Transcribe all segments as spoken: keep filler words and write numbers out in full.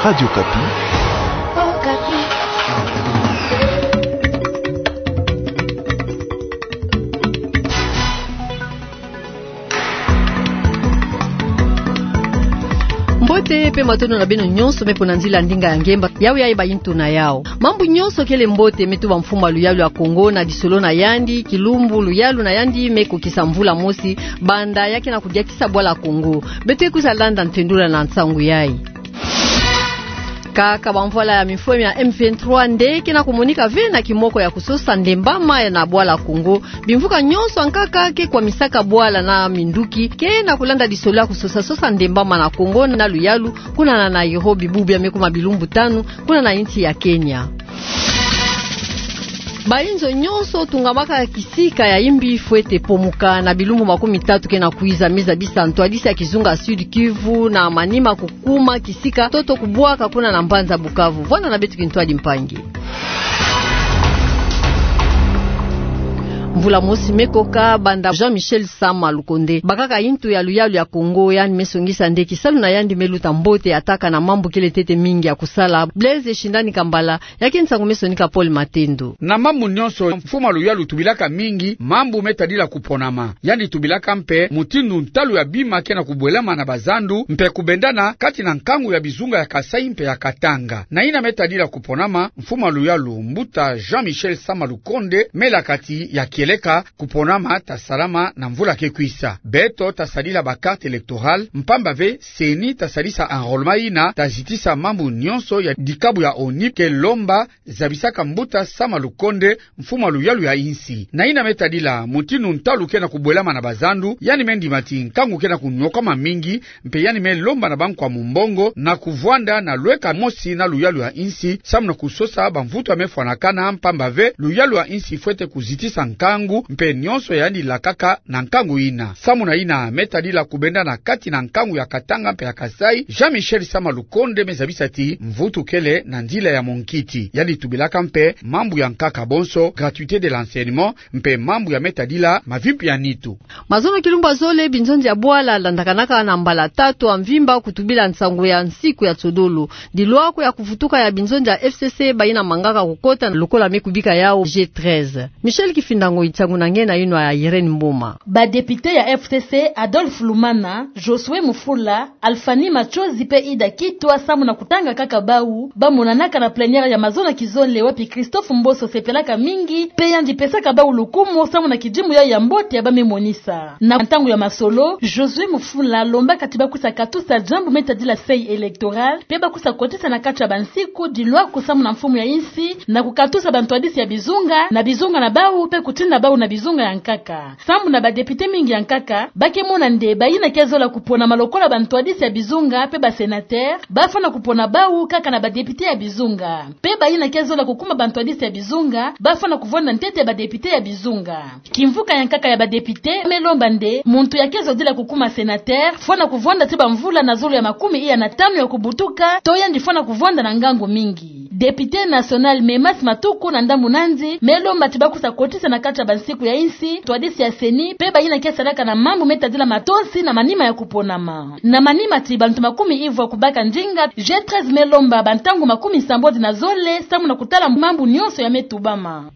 Radio Okapi. Mbote pe matondo na beno nyonso me pona nzila ndinga ya ngemba. Yawe ya eba into na yao. Mambu nyonso kele mbote me tuba mfumu a luyalu ya Kongo na lisolo na yandi, kilumbu luyalu na yandi me kokisa mvula mosi, banda ya ke na kudiakisa bwala Kongo. Beto ke kwiza landa ntendula na nsangu yai. Kaka bamvwala ya mifwemi ya M vingt-trois nde ke na kumonika ve na kimoko ya kusosa ndembama ya na bwala Kongo. Bimvuka nyonso ya nkaka ke kwamisaka bwala na minduki ke na kulanda lisolo ya kusosa sosa ndembama na Kongo na luyalu, kuna na Nairobi, bubu ya me kuma bilumbu tanu, kuna na insi ya Kenya. Bainzo nyonso tungamaka kisika ya imbi fwete pomuka na bilumbu makumi tatu ke na kwiza, me zabisa ntwadisi ya kizunga Sud-Kivu na Maniema kukuma kisika toto kubwaka kuna na mbanza Bukavu. Vwanda na beto kintwadi mpangi. Mvula mosi me koka banda Jean-Michel Sama Lukonde bakaka into ya luyalu ya Kongo, yandi me songisa nde kisalu na yandi me luta mbote, ataka na mambu kele ntete mingi ya kusala. Blaise Shindani Kambala, ya ke nsangu me sonika Paul Matendo. Na mambu nyonso, mfumu a luyalu tubilaka mingi mambu me tadila kuponama. Yandi tubilaka mpe mutindu ntalu ya bima ke na kubwelama na bazandu, mpe kubendana kati na nkangu ya bizunga ya Kasaï mpe ya Katanga. Na yina me tadila kuponama, mfumu a luyalu mbuta Jean-Michel Sama Lukonde me laka ti ya kieleka kuponama ta salama na mvula ke kwisa. Beto ta sadila ba carte électorale, mpamba ve CENI ta sadisa enrôlement yina ta zitisa mambu nyonso ya dikabu ya ONIP ke lomba, zabisaka mbuta Sama Lukonde, mfumu a luyalu ya insi. Na yina me tadila mutindu ntalu ke na kubwelama na bazandu, yandi me ndima ti nkangu ke na kunyokama mingi, mpe yandi me lomba na bankwa mumbongo na kuvwanda na lweka mosi na luyalu ya insi, samu na kusosa bamvutu ya me fwanakana, mpamba ve luyalu ya insi fwete kuzitisa nkangu, mpe nyonso yandi lakaka na nkangu yina. Samu na yina me tadila kubendana kati na nkangu ya Katanga mpe ya Kasaï, Jean-Michel Sama Lukonde me zabisa ti mvutu kele na nzila ya monkiti. Yandi tubilaka mpe mambu ya nkaka bonso, gratuité de l'enseignement, mpe mambu ya me tadila mavimpi ya nitu. Mazono kilumbu ya zole, binzonzi ya bwala landakanaka na mbala tatu ya mvimba kutubila nsangu ya nsiku ya nsodolo. Dilwako ya kuvutuka ya binzonzi ya F C C, bayina mangaka kukota lokola me kubika yao G treize. Michel Kifinda Ngoi, nsangu na nge na yinwa ya Irène Mboma. Ba député ya F C C, Adolphe Lumana, Josué Mufula, Alphanie Matsozi mpe Ida Kitwa, samu na kutanga kaka bau, ba monanaka na plénière ya mazono kizole wapi Christophe Mboso sepelaka mingi, mpe yandi pesaka bau lukumu samu na kidimu yai ya mbote ya ba me monisa. Na ntangu ya masolo, Josué Mufula lombaka ti ba kwisa katusa diambu me tadila seuil électoral, mpe ba kwisa kotisa na kati ya bansiku dilwako samu na mfumu ya insi na kukatusa bantwadisi ya bizunga na bizunga na bau, mpe kutinda bau na bizunga ya nkaka. Sambu na ba député mingi ya nkaka, ba ke mona nde bayina ke zola kuponama lokola bantwadisi ya bizunga mpe ba sénateur, ba fwana kupona bau kaka na ba député ya bizunga. Mpe bayina ke zola kukuma bantwadisi ya bizunga, ba fwana kuvwanda ntete ba député ya bizunga. Kimvuka ya nkaka ya ba député me lomba nde muntu ya ke zodila kukuma sénateur fwana kuvwanda ti bamvula na zulu ya makumi iya na tanu ya kubutuka, to yandi fwana kuvwanda na ngangu mingi. Député national Memas Matuku na ndambu nandi me lomba ti ba kwisa kotisa na kati ya bansiku ya insi ntwadisi ya seni mpe bayina ke salaka na mambu me tadila matosi na manima ya kuponama. Na manima ti bantu makumi ivwa kubaka ndinga, G treize me lomba bantangu makumi sambodi na zole samu na kutala mambu nyonso ya me tubama.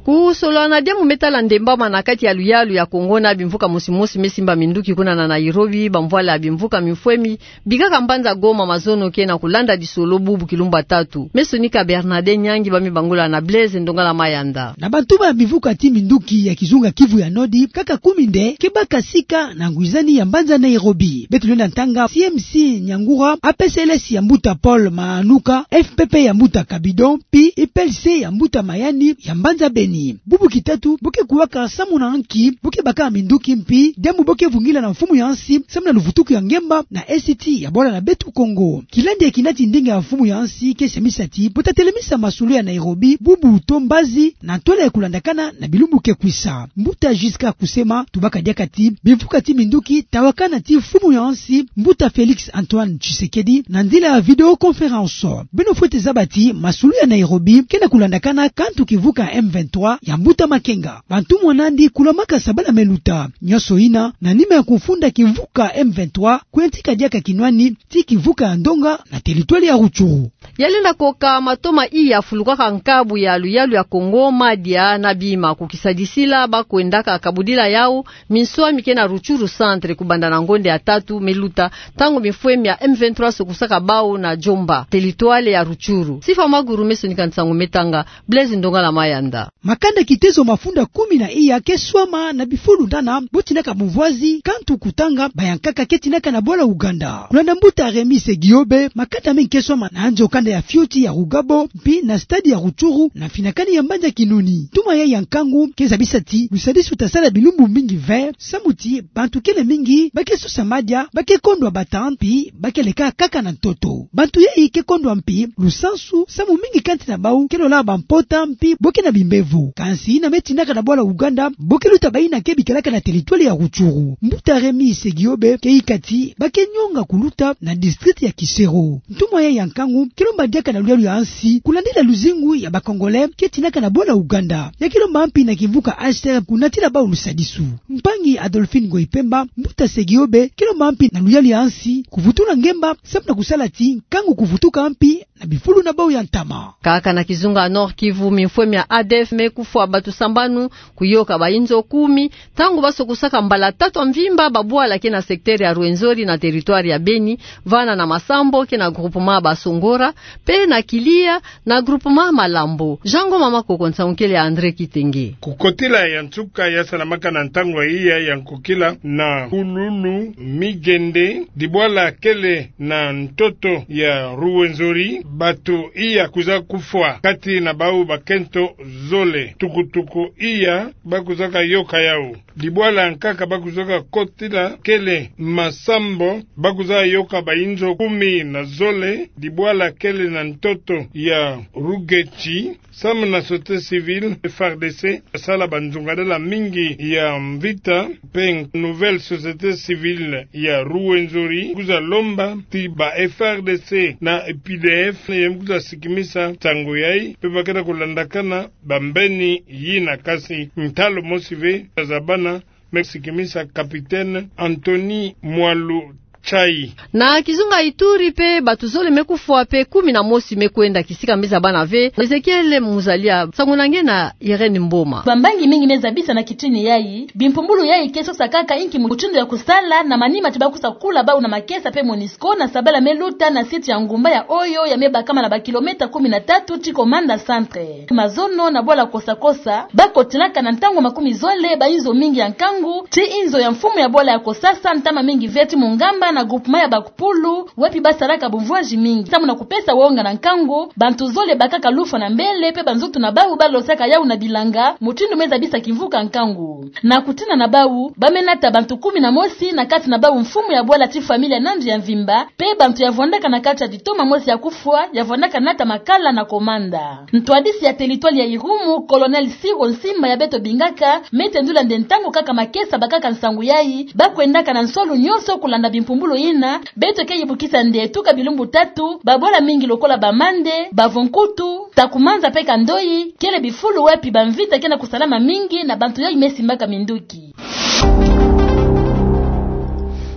Kusolola na diambu me tala ndembama na kati ya luyalu ya Kongo na bimvuka mosi mosi me simba minduki kuna na Nairobi, bamvwala ya bimvuka mifwemi bikaka mbanza Goma mazono ke na kulanda disolo bubu kilumbu ya tatu. Me sonika Bernadette Nyangi, ba me bangula na Blaise Ndongala Mayanda. Na bantu ba bimvuka ti minduki ya kizunga Kivu ya Nord, kaka kumi nde ke baka sika na ngwizani ya mbanza Nairobi. Beto lenda ntanga C M C Nyangura, A P C L S ya mbuta Paul Manuka, F P P ya mbuta Kabido, mpi U P L C ya mbuta Mayani ya mbanza Beni. Bubu kitatu bo ke kuwaka samu na nki bo ke baka minduki, mpi diambu bo ke vungila na mfumu ya nsi samu na luvutuku ya ngemba na N C T ya bwala na beto Kongo. Kilandi ya kina ti ndinga ya mfumu ya nsi ke semisa ti bo ta telemisa masolo ya Nairobi bubu to mbazi na ntwala ya kulandakana na bilumbu ke kwisa. Mbuta Giscard Kusema tubaka diaka ti bimvuka ti minduki ta wakana ti mfumu ya nsi mbuta Félix Antoine Tshisekedi na nzila ya vidéoconférence. Beno fwete zaba ti masolo ya Nairobi ke na kulandakana kantu kivuka M vingt-trois trois ya mbuta Makenga. Bantu mwana'andi kulamaka sabala me luta. Nyonso ina, na nima ya kufunda kimvuka M vingt-trois, kuyantika diaka kinwani, ti kimvuka ya ndonga, na territoire ya Rutshuru. Ya lenda koka matoma iya fulukaka nkabu ya luyalu ya Kongo, madia na bima, ku kisadisila ba kwendaka kabudila yau minswami ke na Rutshuru Centre, kubanda na ngonde ya tatu me luta, ntangu bimfwemi ya M vingt-trois sokusaka bau na Djomba, territoire ya Rutshuru. Sifa Maguru me sonika nsangu me tanga, Blaise Ndongala Mayanda. Makanda kitezo mafunda kumi na iya ke swama na bifulu nana bo tinaka bumvwazi, kantu kutanga bayankaka ke tinaka na bwala Uganda. Kulanda mbuta Rémy Segiobe, makanda mengi ke swama na nzo kanda ya fioti ya Rugabo, mpi na stade ya Rutshuru, na mfinakani ya mbanza Kinoni. Ntuma yayi ya nkangu ke zabisa ti lusadisu luta sala bilumbu mingi ve, samu ti bantu kele mingi ba ke sosa madia, ba ke kondwa bata, mpi ba ke leka kaka na ntoto. Bantu yayi ke kondwa mpi lusansu, samu mingi kati na bau ke lola bampota, mpi bo ke na bimbevo. Kansi ina me tinaka na bwala Uganda, bo ke luta bayina ke bikelaka na territoire ya Rutshuru. Mbuta Rémy Segiobe ke yika ti ba ke nyonga kuluta na district ya Kisero. Ntuma yayi ya nkangu ke lomba diaka na luyalu ya nsi kulandila luzingu ya ba Congolais ke tinaka na bwala Uganda. Ya ke lomba mpi na kimvuka H C R kunatila bau lusadisu. Mpangi Adolphine Ngoyi Pemba, mbuta Segiobe ke lomba mpi na luyalu ya nsi kuvutula ngemba, samu na kusala ti nkangu kuvutuka mpi na bifulu na bau ya ntama. Kaka na kizunga Nord-Kivu, mimfwemi ya A D F me kufwa bato sambanu, kuyoka bayinzo kumi, ntangu ba sokusaka mbala tatu ya mvimba babwala ke na secteur ya Rwenzori na territoire ya Beni, vana na Masambo ke na groupement Basongora, mpe na Kilia na groupement Malambo. Jean Ngoma Makoko, nsangu kele ya André Kitenge. Kukotila ya nsuka ya salamaka na ntangu iya ya nkokila na Hululu Migende, dibwala kele na ntoto ya Rwenzori, bato iya kwiza kufwa, kati na bau bakento zole. Tukutuku iya ba kwizaka yoka yau. Dibwala nkaka ba kwizaka kotila kele Masambo, ba kwiza yoka bayinzo kumi na zole. Dibwala kele na ntoto ya Rugetshi, samu na société civile, F A R D C, sala banzungadala mingi ya mvita, mpe nouvelle société civile ya Rwenzori kwiza lomba ti ba F A R D C na U P D F ya kwiza sikimisa ntangu yayi, mpe ba ke na kulandakana bambeni yina, kansi ntalo mosi ve ya zabana, me sikimisa capitaine Anthony Mwalu Chai. Na kizunga Ituri mpe bato zole me kufwa mpe kumi na mosi me kwenda, kisika me zabana ve. Ezekiel Muzalia, nsangu na nge na Irène Mboma. Bambangi mingi me zabisa na kitini yayi, bimpumbulu yayi ke sosa kaka inki mutindu ya kusala na manima ti ba kwiza kula bau na makesa mpe MONUSCO na sabala me luta na site ya Ngumba ya Oyo ya me bakama na ba kilomètre kumi na tatu ti Komanda Centre. Mazono na bwala Kosakosa, ba kotilaka na ntangu makumi zole bayinzo mingi ya nkangu, ti inzo ya mfumu ya bwala ya Kosasa, ntama mingi ve ti Mungamba na groupement ya Bakupulu, wapi ba salaka bumvwazi mingi, samu na kupesa wonga na nkangu, bantu zole bakaka lufwa na mbele, mpe banzoto na bau ba losaka yau na bilanga, mutindu me zabisa kimvuka nkangu. Na kutina na bau, ba me nata bantu kumi na mosi, na kati na bau mfumu ya bwala ti familia na ndu ya mvimba, mpe bantu ya vwandaka na kati ya ditoma mosi ya kufwa, ya vwandaka nata makala na Komanda. Ntwadisi ya territoire ya Irumu, Colonel Siro Nsimba ya beto bingaka, me tendula nde ntangu kaka makesa bakaka nsangu yayi, ba kwendaka na nswalu nyonso kulanda bimpumbulu yina, beto ke yibukisa nde tuka bilumbu tatu, babwala mingi lokola Bamande, Bavonkutu, Takumanza mpe Kandoyi, kele bifulu wapi bamvita ke na kusalama mingi na bantu yayi me simbaka minduki.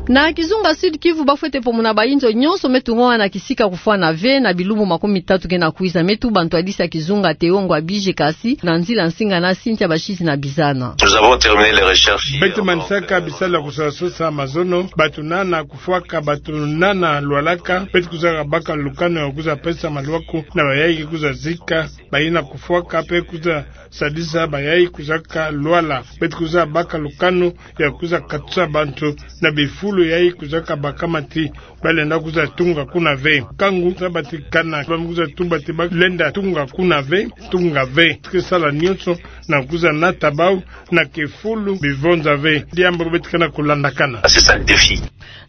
Na kizunga Sud-Kivu, ba fwete pomona bayinzo nyonso me tungwama na kisika kufwana ve na bilumbu makumi tatu ke na kwiza. Me tuba ntwadisi ya kizunga Théo Ngwabidje Kasi na nzila nsinga na Cynthia Bashizi na Bizana. Nous avons terminé les recherches hier. Beto manisaka bisalu ya kusosasosa mazono, bato nana kufwaka, bato nana lwalaka, beto kwizaka baka lukanu ya kwiza pesa malwaku na bayayi kwiza zika bayina kufwaka, mpe kwiza sadisa bayayi kwizaka lwala. Beto kwiza baka lukanu ya kwiza katusa bantu na bifulu yayi kwizaka bakama ti ba lenda kwiza tunga kuna ve. Nkangu sa batikana, ba me kwiza tuba ti ba lenda tunga kuna ve, tunga ve. Ke sala nyonso na kwiza nata bau na kifulu bivonza ve. Diambu beto ke na kulandakana. C'est ça le défi.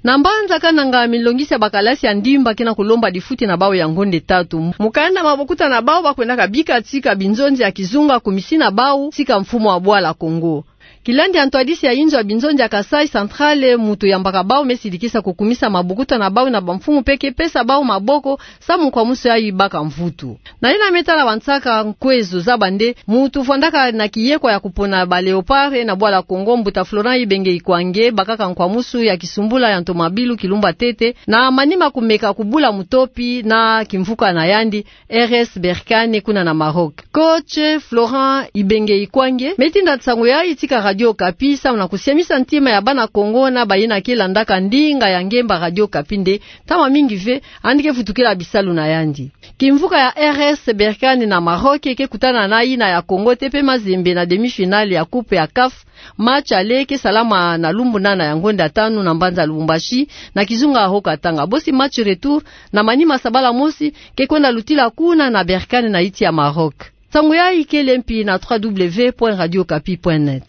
Na mbanza Kananga, milongisi ya bakalasi ya ndimba ke na kulomba difuti na bau ya ngonde tatu. Mukanda ma bokuta na bau, ba kwendaka bika tika binzonzi ya kizunga ku misi na bau tika mfumu wa bwala Kongo. Kilandi ya ntwadisi ya inzo ya binzonzi ya Kasaï Central, mutu yambaka bau me sidikisa kukumisa mabokuta na bau na bamfumu mpe ke pesa bau maboko samu nkwamusu yayi baka mvutu. Na yina me tala bansaka nkwezo za bande, mutu vwandaka na kiyekwa ya kupona ba Léopards na bwala Kongo, mbuta Florent Ibenge Ikwange, bakaka nkwamusu ya kisumbula ya ntomabilu kilumbu ya ntete, na manima kumeka kubula mutopi na kimvuka na yandi, R S Berkane, kuna na Maroc. Coach Florent Ibenge Ikwange me tinda nsangu yayi tika Radio Okapi samu na kusiamisa ntima ya bana Kongo na bayina ke landaka ndinga ya ngemba Radio Okapi nde, ntama mingi ve, yandi ke vutukila bisalu na yandi. Kimvuka ya R S Berkane na Maroc ke kutana na yina ya Kongo te mpe Mazembe na demi-finale ya coupe ya CAF. Match aller ke salama na lumbu nana ya ngonda tanu na mbanza Lubumbashi, na kizunga ho Katanga. Bosi match retour, na manima sabala mosi, ke kwenda lutila kuna na Berkane na yinti ya Maroc. Nsangu yayi kele mpi na trois W point radio okapi point net.